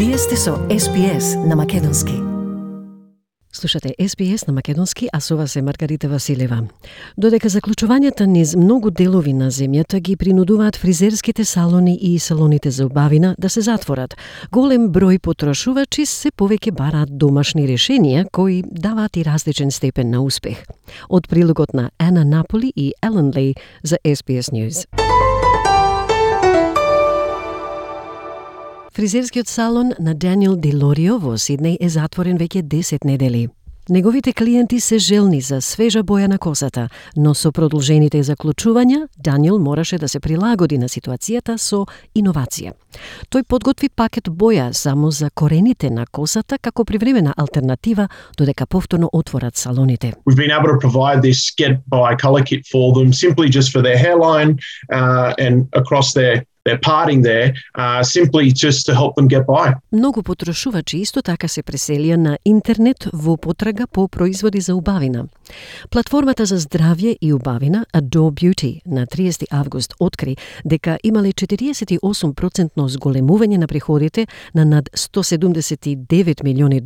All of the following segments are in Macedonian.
Вие сте со SPS на Македонски. Слушате SPS на Македонски, а со вас е Маргарита Василева. Додека заклучувањата низ многу делови на земјата ги принудуваат фризерските салони и салоните за убавина да се затворат, голем број потрошувачи се повеќе бараат домашни решенија кои даваат и различен степен на успех. Од прилогот на Ана Наполи и Елен Лей за SPS News. Фризерскиот салон на Даниел Ди Лорио во Сиднеј е затворен веќе 10 недели. Неговите клиенти се желни за свежа боја на косата, но со продолжените заклучувања, Даниел мораше да се прилагоди на ситуацијата со иновација. Тој подготви пакет боја само за корените на косата како привремена алтернатива додека повторно отворат салоните. We've been able to provide this get-by colour kit for them simply just for their hairline and across their parting there, simply just to help them get by. Многу потрошувачи исто така се преселија на интернет во потрага по производи за убавина. Платформата за здравје и убавина Adore Beauty на 30 август откри дека имале 48% зголемување на приходите на над $179 милиони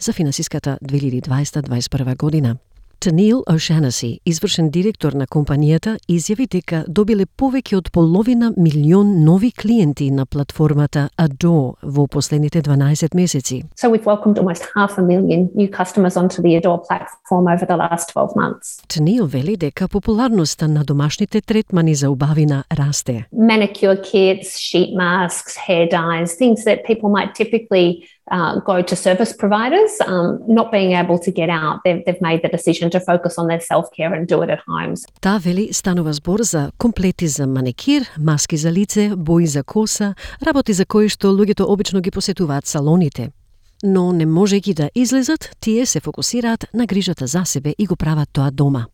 за финансиската 2020-2021 година. Tennille O'Shannessy, извршен директор на компанијата, изјави дека добиле повеќе од половина милион нови клиенти на платформата Adore во последните 12 месеци. So we've welcomed almost 500,000 new customers onto the Adore platform over the last 12 months. Tennille вели дека популарноста на домашните третмани за убавина расте. Manicure kits, sheet masks, hair dyes, things that people might typically go to service providers, not being able to get out. They've made the decision to focus on their self-care and do it at home. Таа вели станува збор за комплети за маникир, маски за лице, бои за коса, работи за кои што луѓето обично ги посетуваат салоните. Но не можејќи да излезат, тие се фокусираат на грижата за себе и го прават тоа дома.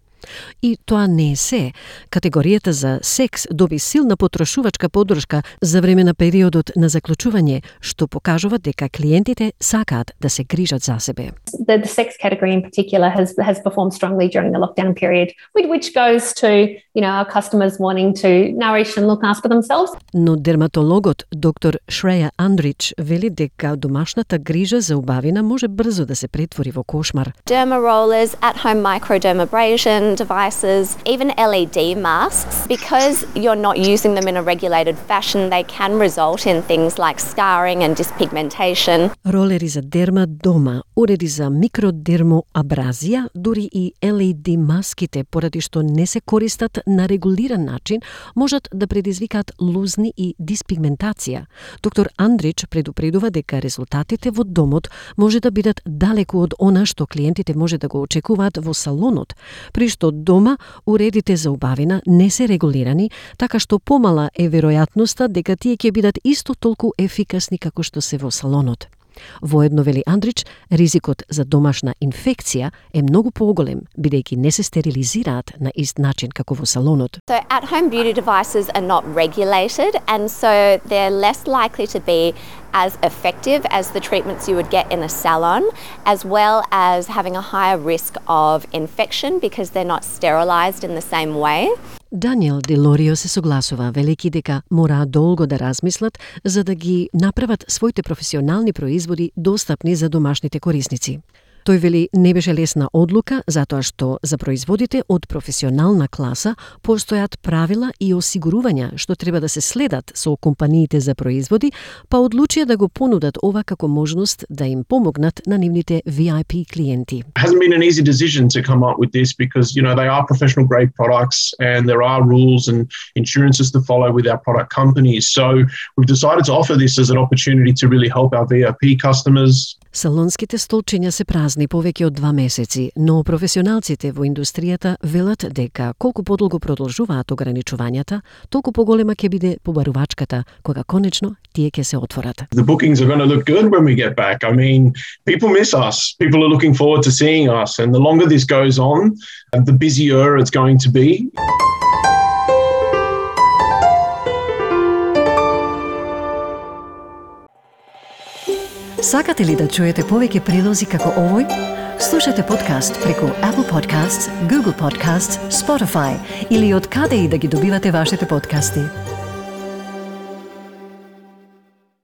И тоа не е се. Категоријата за секс доби силна потрошувачка поддршка за време на периодот на заклучување, што покажува дека клиентите сакаат да се грижат за себе. The sex category in particular has performed strongly during the lockdown period, which goes to, our customers wanting to nourish and look after themselves. Но дерматологот доктор Шреја Андрич вели дека домашната грижа за убавина може брзо да се претвори во кошмар. Derma rollers, at-home microdermabrasion devices, even LED masks, because you're not using them in a regulated fashion, they can result in things like scarring and dyspigmentation. Ролери за дерма дома, уреди за микродермоабразија, дури и LED маските, поради што не се користат на регулиран начин, можат да предизвикаат лузни и диспигментација. Доктор Андрич предупредува дека резултатите во домот може да бидат далеку од она што клиентите може да го очекуваат во салонот, при што дома уредите за убавина не се регулирани, така што помала е веројатноста дека тие ќе бидат исто толку ефикасни како што се во салонот. Воедно, вели Андрич, ризикот за домашна инфекција е многу поголем, бидејќи не се стерилизираат на ист начин како во салонот. So at-home beauty devices are not regulated, and so they're less likely to be as effective as the treatments you would get in a salon, as well as having a higher risk of infection because they're not sterilized in the same way. Даниел Ди Лорио се согласува, велики дека мора долго да размислат за да ги направат своите професионални производи достапни за домашните корисници. Тој вели не беше лесна одлука, затоа што за производите од професионална класа постојат правила и осигурувања што треба да се следат со компаниите за производи, па одлучија да го понудат ова како можност да им помогнат на нивните VIP клиенти. It hasn't been an easy decision to come up with this because, they are professional grade products and there are rules and insurances to follow with our product companies. So we've decided to offer this as an opportunity to really help our VIP customers. Салонските столчиња се празни повеќе од 2 месеци, но професионалците во индустријата велат дека колку подолго продолжуваат ограничувањата, толку поголема ќе биде побарувачката кога конечно тие ќе се отворат. The bookings are going to look good when we get back. I mean, people miss us. People are looking forward to seeing us, and the longer this goes on, the busier it's going to be. Сакате ли да чуете повеќе прилози како овој? Слушате подкаст преку Apple Podcasts, Google Podcasts, Spotify или од каде и да ги добивате вашите подкасти.